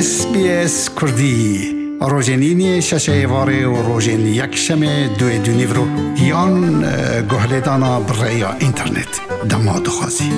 SBS Kurdî rojên îniyê şeşê êvarê û rojên yekşemê duê du nîvro yan guhlêdana bi rêya înternet dema dixwazî.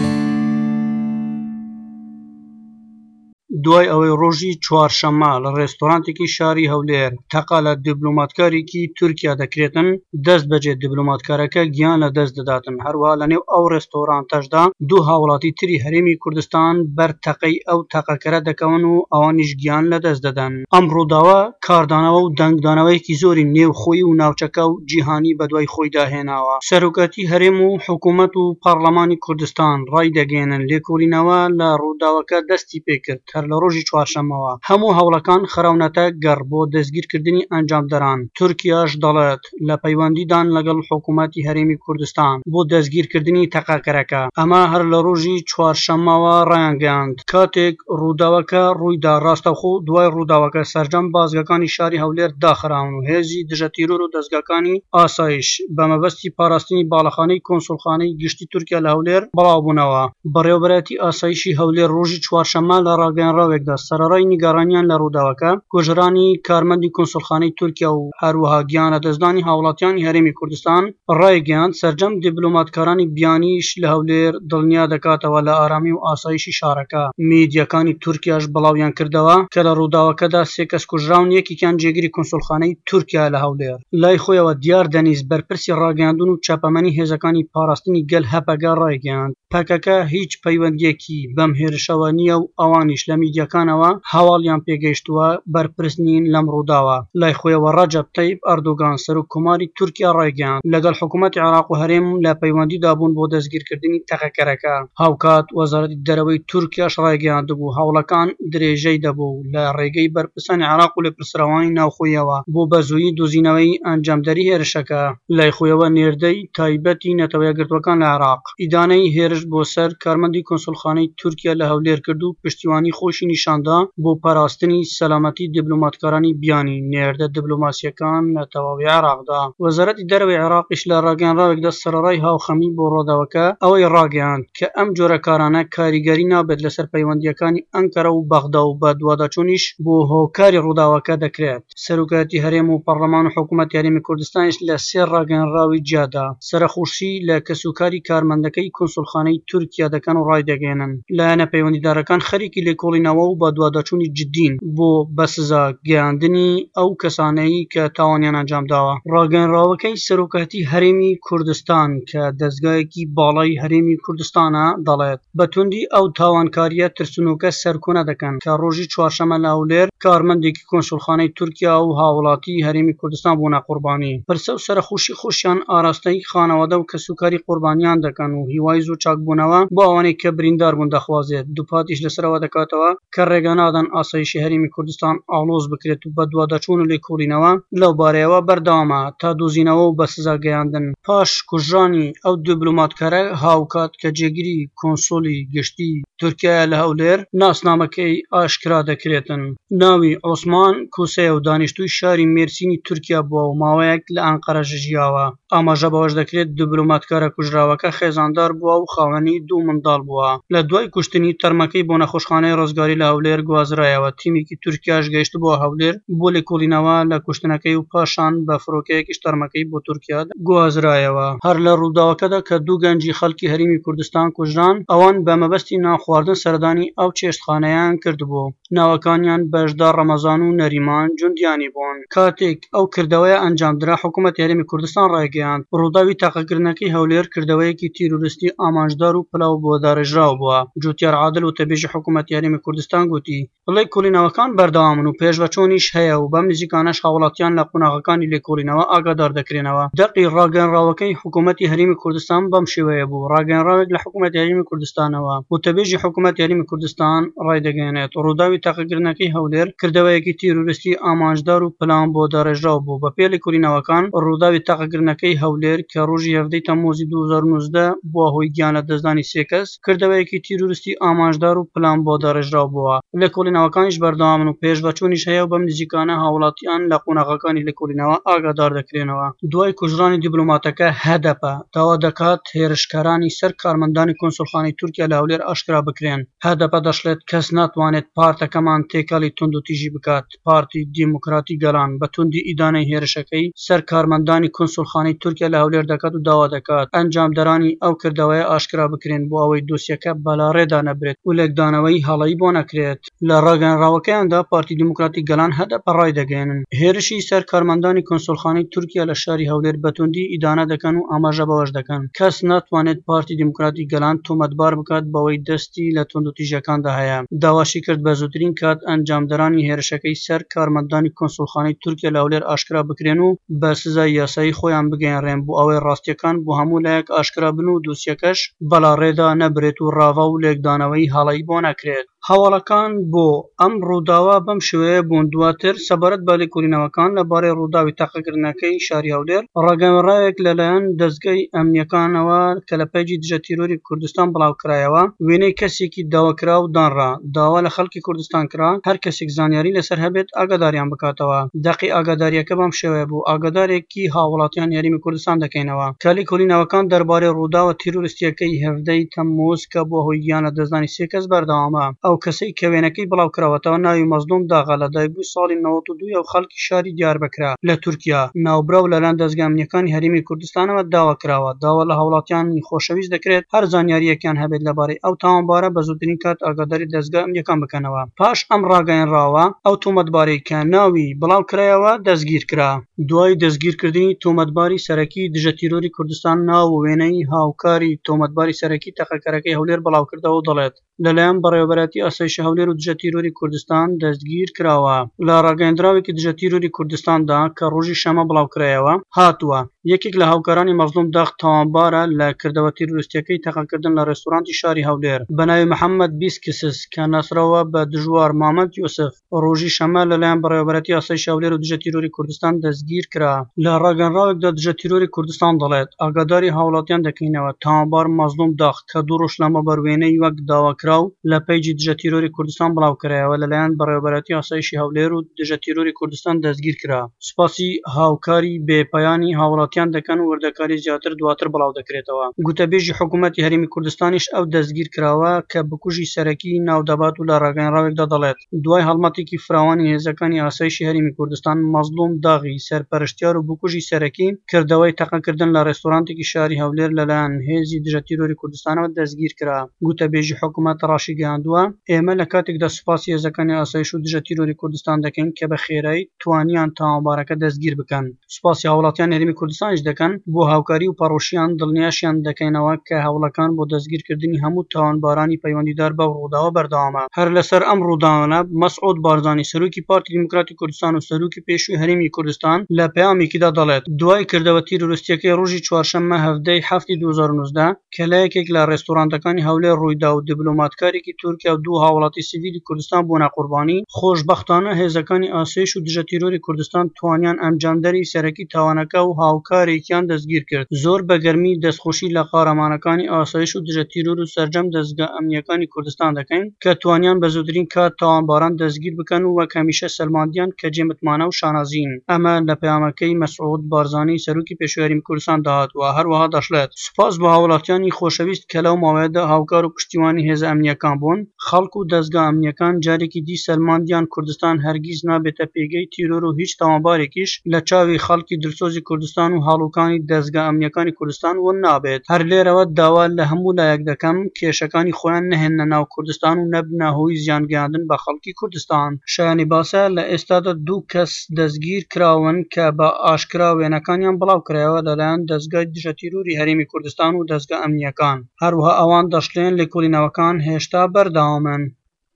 دوای ئەوەی ڕۆژی چوارشەممە لە ڕێستۆرانتێکی شاری هەولێر تەقە لە دیبلۆماتکارێکی تورکیا دەکرێتن، دەستبەجێ دیبلۆماتکارەکە گیان لە دەست دەداتن، هەروەها لەنێو ئەو ڕێستۆرانتەشدا دوو هاوڵاتی تری هەرێمی کوردستان بەر تەقەی ئەو تەقەکەرە دەکەون و ئەوانیش گیان لە دەست دەدەن. ئەم ڕووداوە کاردانەوە و دەنگدانەوەیەکی زۆری نێوخۆیی و ناوچەکە و جیهانی بەدوای خۆیدا هێناوە. سەرۆکایەتی هەرێم و حکوومەت و پەڕڵەمانی کوردستان ڕایدەگەیەنن، لێکۆڵینەوە لە ڕووداوەکە دەستی پێکرد، هەر لە ڕۆژی چوارشەممەوە هەموو هەوڵەکان خراونەتە گەڕ بۆ دەستگیرکردنی ئەنجامدەران، تورکیاش دەڵێت، لە پەیوەندیدان لەگەڵ حکوومەتی هەرێمی کوردستان بۆ دەستگیرکردنی تەقەکەرەکە، ئەمە هەر لە ڕۆژی چوارشەممەوە ڕایانگەیاند. کاتێک ڕووداوەکە ڕوویدا ڕاستەوخۆ دوای ڕووداوەکە سەرجەم بازگەکانی شاری هەولێر داخراون و هێزی دژەتیرۆر و دەزگاکانی ئاسایش بە مەبەستی پاراستنی باڵەخانەی کۆنسوڵخانەی گشتی تورکیا لە هەولێر بڵاوبوونەوە. بەڕێوەبەرایەتی ئاسایشی هەولێر ڕۆژی چوارشەممە لە ڕاگەیەنراوێکدا سەرەڕای نیگەرانیان لە ڕووداوەکە، کوژرانی کارمەندی کونسوڵخانەی تورکیا و هەروەها گیانلەدەستدانی هاوڵاتیانی هەرێمی کوردستان، ڕایگەیاند، سەرجەم دیبلۆماتکارانی بیانیش لە هەولێر دڵنیا دەکاتەوە لە ئارامی و ئاسایشی شارەکە. میدیاکانی تورکیاش بڵاویان کردەوە کە لە ڕووداوەکەدا سێ کەس کوژراون یەکێکیان جێگری کونسوڵخانەی تورکیایە لە هەولێر. لای خۆیەوە دیار دەنیز بەرپرسی ڕاگەیاندن و چاپەمەنی هێزەکانی پاراستنی گەل هەپەگە ڕایگەیاند، پەکەکە هیچ پەیوەندییەکی بەم هێرشەوە نییە و ئەوانیش لە میدیاکانەوە هەواڵیان پێگەیشتووە بەرپرس نین لەم ڕووداوە. لای خۆیەوە ڕەجەب تەیب ئەردۆگان سەرۆک کۆماری تورکیا ڕایگەیاند، لەگەڵ حکومەتی عێراق و هەرێم لە پەیوەندیدا بوون بۆ دەستگیرکردنی تەقەکەرەکە. هاوکات وەزارەتی دەرەوەی تورکیاش ڕایگەیاندبوو، هەوڵەکان درێژەی دەبوو لە ڕێگەی بەرپرسانی عێراق و لێپرسراوانی ناوخۆییەوە بۆ بەزوویی دۆزینەوەی ئەنجامدەری هێرشەکە. لای خۆیەوە نێردەی تایبەتی نەتەوە یەکگرتووەکان لە عێراق، ئیدانەی هێرش بۆ سەر کارمەندی کونسوڵخانەی تورکیا لە هەولێر کرد و پشتیوانی خۆیشی نیشاندا بۆ پاراستنی سەلامەتی دیبلۆماتکارانی بیانی نێردە دیبلۆماسییەکان لە تەواوی عێراقدا. وەزارەتی دەرەوەی عێراقیش لە ڕاگەیەنراوێکدا سەرەڕای هاوخەمی بۆ ڕووداوەکە ئەوەی ڕاگەیاند کە ئەم جۆرە کارانە کاریگەری نابێت لەسەر پەیوەندییەکانی ئەنکەرە و بەغدا و بەدواداچوونیش بۆ هۆکاری ڕووداوەکە دەکرێت. سەرۆکایەتی هەرێم و پەڕلەمان و حکوومەتی هەرێمی کوردستانیش لە سێ ڕاگەیەنراوی جیادا سەرەخۆشی لە کەسوکاری کارمەندەکەی کونسوڵخانەی تورکیا دەکەن و ڕایدەگەیەنن، لایەنە پەیوەندیدارەکان خەریکی لێکۆڵینەوە و بەدواداچوونی جددین بۆ بەسزا گەیاندنی ئەو کەسانەی کە تاوانیان ئەنجامداوە. ڕاگەیەنراوەکەی سەرۆکایەتی هەرێمی کوردستان کە دەزگایەکی باڵای هەرێمی کوردستانە دەڵێت، بە توندی ئەو تاوانکارییە ترسنۆکە سەرکۆنە دەکەن کە ڕۆژی چوارشەممە لە هەولێر کارمەندێکی کونسوڵخانەی تورکیا و هاوڵاتیی هەرێمی کوردستان بوونە قوربانی. پرسە و سەرەخۆشی خۆشیان ئاراستەی خانەوادە و کەسوکاری قوربانیان دەکەن و هیوای زوو چاکبوونەوە بۆ ئەوانەی کە بریندار بوون دەخوازێت، دووپاتیش لەسەر ئەوە دەکاتەوە کە ڕێگە نادەن ئاسایشی هەرێمی کوردستان ئاڵۆز بکرێت و بەدواداچوون و لێکۆڵینەوە لەو بارەیەوە بەردەوامە تا دۆزینەوە و بەسزا گەیاندن. پاش کوژرانی ئەو دیبلۆماتکارە هاوکات کە جێگری کونسوڵی گشتی تورکیایە لە هەولێر، ناسنامەکەی ئاشکرا دەکرێتن. ناوی عوسمان کوسەیە و دانیشتووی شاری مێرسینی تورکیا بووە و ماوەیەک لە ئەنقەرەش ژیاوە. ئاماژە بەوەش دەکرێت، دیبلۆماتکارە کوژراوەکە خێزاندار بووە و خاوەنی دوو منداڵ بووە. لە دوای کوشتنی، تەرمەکەی بۆ نەخۆشخانەی ڕزگاری لە هەولێر گوازرایەوە، تیمێکی تورکیاش گەیشتبووە هەولێر بۆ لێکۆڵینەوە لە کوشتنەکەی و پاشان بە فڕۆکەیەکیش تەرمەکەی بۆ تورکیا گوازرایەوە. هەر لە ڕووداوەکەدا کە دوو گەنجی خەڵکی هەرێمی کوردستان کوژران، ئەوان بە مەبەستی نانخواردن سەردانی ئەو چێشتخانەیان کردبوو. ناوەکانیان بەشدار ڕەمەزان و نەریمان جوندیانی بوون. کاتێک ئەو کردەوەیە ئەنجامدرا، حکومەتی هەرێمی کوردستان ڕایگەیاند، ڕووداوی تەقەکردنەکەی هەولێر کردەوەیەکی تیرۆریستی ئامانجدار و پلاو بۆ داڕێژراو بووە. جوتیار عادل وتەبێژی حکومەتی هەرێمی کوردستان گوتی، ڵێکۆڵینەوەکان بەردەوامن و پێشڤەچوونیش هەیە و بەم نزیکانەش هاوڵاتیان لە قۆناغەکانی لێکۆڵینەوە ئاگادار دەکرێنەوە. دەقی ڕاگەیەنراوەکەی حکوومەتی هەرێمی کوردستان بەم شێوەیە بوو، ڕاگەیەنراوێک لە حکوومەتی هەرێمی کوردستانەوە، وتەبێژی حکوومەتی هەرێمی کوردستان ڕایدەگەیەنێت، ڕووداوی تەقەکردنەکەی هەولێر کردەوەیەکی تیرۆریستی ئامانجدار و پلان بۆ داڕێژراو بوو، بەپێی لێکۆڵینەوەکان ڕووداوی تەقەکردنەکەی. تیرۆریستییەکەی هەولێر کە ڕۆژی هەڤدەی تەمموزی 2019 بووە هۆی گیانلەدەستدانی سێ کەس، کردەوەیەکی تیرۆریستی ئامانجدار و پلان بۆ داڕێژراو بووە. لێکۆڵینەوەکانیش بەردەوامن و پێشڤەچوونیش هەیە و بەم نزیکانە هاوڵاتیان لە قۆناغەکانی لێکۆڵینەوە ئاگادار دەکرێنەوە. دوای کوژرانی دیبلۆماتەکە، هەدەپە داوا دەکات هێرشکەرانی سەر کارمەندانی کونسوڵخانەی تورکیا لە هەولێر ئاشکرا بکرێن. هەدەپە دەشڵێت، کەس ناتوانێت پارتەکەمان تێکەڵی توندوتیژی بکات. پارتی دیموکراتی گەلان بە توندی ئیدانەی هێرشەکەی سەر کارمەندانی کونسوڵخانەی تورکیا لە هەولێر دەکات و داوا دەکات ئەنجامدەرانی ئەو کردەوەیە ئاشکرا بکرێن بۆ ئەوەی دۆسیەکە بەلاڕێدا نەبرێت و لێکدانەوەی هەڵەی بۆ نەکرێت. لە ڕاگەیەنراوەکەیاندا پارتی دیموکراتی گەلان هەدەپە ڕایدەگەیەنن، هێرشی سەر کارمەندانی کونسوڵخانەی تورکیا لە شاری هەولێر بە توندی ئیدانە دەکەن و ئاماژە بەوەش دەکەن، کەس ناتوانێت پارتی دیموکراتی گەلان تۆمەتبار بکات بەوەی دەستی لە توندوتیژیەکاندا هەیە. داواشی کرد بە زووترین کات ئەنجامدەرانی هێرشەکەی سەر کارمەندانی کونسوڵخانەی تورکیا لە هەولێر ئاشکرا بکرێن و بە سزای یاسایی خۆیان بگەیەنرێن بۆ ئەوەی ڕاستیەکان بۆ هەموو لایەک ئاشکرا بن و دۆسیەکەش بەلاڕێدا نەبرێت و ڕاڤە و لێکدانەوەی هەڵەی بۆ نەکرێت. هەواڵەکان بۆ ئەم ڕووداوە بەم شێوەیە بوون، دواتر سەبارەت بە لێکۆڵینەوەکان لە بارەی ڕووداوی تەقەکردنەکەی شاری هەولێر، ڕاگەیەنراوێک لەلایەن دەزگای ئەمنییەکانەوە کە لە پەیجی دژە تیرۆری کوردستان بڵاوکرایەوە، وێنەی کەسێکی داواکراو دانرا، داوا لە خەڵکی کوردستان کرا هەر کەسێک زانیاری لەسەر هەبێت ئاگاداریان بکاتەوە. دەقی ئاگادارییەکە بەم شێوەیە بوو، ئاگادارێکی هاووڵاتیانی هەرێمی کوردستان دەکەینەوە کە لێکۆڵینەوەکان دەربارەی ڕووداوە تیرۆریستییەکەی 17 ی تەمموز کە بووە هۆی گیانلەدەستدانی سێ کەس بەردەوامە. ئەو کەسەی کە وێنەکەی بڵاوکراوەتەوە ناوی مەزلوم داغە، لەدایکبووی ساڵی 92 ە و خەڵکی شاری دیاربەکرە لە تورکیا. ناوبراو لەلایەن دەزگا ئەمنییەکانی هەرێمی کوردستانەوە داوا کراوە. داوا لە هاوڵاتیانی خۆشەویست دەکرێت هەر زانیارییەکیان هەبێت لەبارەی ئەو تاوانبارە بە زووترین کات ئاگاداری دەزگا ئەمنییەکان بکەنەوە. پاش ئەم ڕاگەیەنراوە ئەو تۆمەتبارەی کە ناوی بڵاوکرایەوە دەستگیرکرا. دوای دەستگیرکردنی تۆمەتباری سەرەکی دژە تیرۆری کوردستان ناو و وێنەی هاوکاری تۆمەتباری سەرەکی تەقەکەرەکەی هەولێر بڵاوکردەوە و دەڵێت، لەلایەن بەڕێوەبەرایەتی ئاسایشی هەولێر و دژە تیرۆری کوردستان دەستگیرکراوە. لە ڕاگەیەندراوێکی دژە تیرۆری کوردستاندا کە ڕۆژی شەممە بڵاوکرایەوە هاتووە، یەکێک لە هاوکارانی مەزڵوم داغ تاوانبارە لە کردەوە تیرۆریستییەکەی تەقەکردن لە ڕێستۆرانتی شاری هەولێر بەناوی محەمەد بیسکسس کە ناسراوە بە دژوار مامەد یوسف. ڕۆژی شەممە لەلایەن بەڕێوەبەرایەتی ئاسایشی هەولێر و دژە تیرۆری کوردستان دەستگیرکرا. لە ڕاگەنراوێکدا دژە تیرۆری کوردستان دەڵێت، ئاگاداری هاوڵاتیان دەکەینەوە، تاوانبار مەزڵوم داغ کە دوو ڕۆژ لەمەوبەر وێنەی وەک داواکراو لە پەیجی دژە تیرۆری کوردستان بڵاوکرایەوە، لەلایەن بەڕێوەبەرایەتی ئاسایشی هەولێر و دژە تیرۆری کوردستان دەستگیرکرا. سوپاسی هاوکاری بێ پایانی هاوڵاتیان دەکەن و وردەکاری زیاتر دواتر بڵاودەکرێتەوە. گوتەبێژی حکومەتی هەرێمی کوردستانیش ئەو دەستگیرکراوە کە بکوژی سەرەکی ناودەبات و لە ڕاگەیەنراوێکدا دەڵێت، دوای هەڵمەتێکی فراوانی هێزەکانی ئاسایشی هەرێمی کوردستان، مەزڵوم داغی سەرپەرشتیار و بکوژی سەرەکی کردەوەی تەقەکردن لە ڕێستۆرانتێکی شاری هەولێر لەلایەن هێزی دژەتیرۆری کوردستانەوە دەستگیرکرا. گوتەبێژی حکومەت ڕاشیگەیاندووە، ئێمە لە کاتێکدا سوپاسی هێزەکانی ئاسایش و دژە تیرۆری کوردستان دەکەین کە بە خێرایی توانیان تاوانبارەکە دەستگیر بکەن. سوپاسی هاوڵاتیانی هەرێمی کوردستانیش دەکەن بۆ هاوکاری و پەڕۆشیان، دڵنیاشیان دەکەینەوە کە هەوڵەکان بۆ دەستگیرکردنی هەموو تاوانبارانی پەیوەندیدار بەو ڕووداوە بەردەوامە. هەر لەسەر ئەم ڕووداوانە مەسعود بارزانی سەرۆکی پارتی دیموکراتی کوردستان و سەرۆکی پێشووی هەرێمی کوردستان لە پەیامێکیدا دەڵێت، دوای کردەوە تیرۆریستییەکەی ڕۆژی چوارشەممە 17 ی حەفتی 2019، کە لە یەکێک لە ڕێستۆرانتەکانی هەولێر ڕوویدا و دیبلۆماتکارێکی تورکیا و دوو هاوڵاتی سیڤیلی کوردستان بوونە قوربانی، خۆشبەختانە هێزەکانی ئاسایش و دژە تیرۆری کوردستان توانیان ئەنجامدەری سەرەکی تاوانەکە و هاوکارێکیان دەستگیرکرد. زۆر بە گەرمی دەستخۆشی لە قارەمانەکانی ئاسایش و دژە تیرۆر و سەرجەم دەزگا ئەمنییەکانی کوردستان دەکەین کە توانیان بە زووترین کات تاوانباران دەستگیر بکەن و وەک هەمیشە سەلماندیان کە جێ متمانە و شانازین. ئەمە لە پەیامەکەی مەسعود بارزانی سەرۆکی پێشووی هەرێمی کوردستاندا هاتووە. هەروەها دەشڵێت، سوپاس بۆ هاوڵاتیانی خۆشەویست کە لەو ماوەیەدا هاوکار و پشتیوانی هێزە ئەمنییەکان بوون، خەڵک و دەزگا ئەمنییەکان جارێکی دی سەلماندیان کوردستان هەرگیز نابێتە پێگەی تیرۆر و هیچ تاوانبارێکیش لە چاوی خەڵکی دلسۆزی کوردستان و هەڵوکانی دەزگا ئەمنییەکانی کوردستان ون نابێت. هەر لێرەوە داوا لە هەموو لایەک دەکەم کێشەکانی خۆیان نەهێننە ناو کوردستان و نەبنە هۆی زیان گەیاندن بە خەڵکی کوردستان. شایانی باسە لە ئێستادا دوو کەس دەستگیر کراون کە بە ئاشکرا وێنەکانیان بڵاوکرایەوە لەلایەن دەزگای دژەتیرۆری هەرێمی کوردستان و دەزگا ئەمنییەکان. هەروەها ئەوان دەشڵێن لێکۆڵینەوەکان هێشتا بەردەوامن.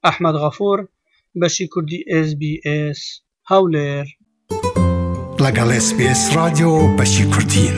ئەحمەد غەفور، بەشی کوردی ئێس بی ئێس، هەولێر. لەگەڵ ئێس بی ئێس ڕادیۆ بەشی کوردین.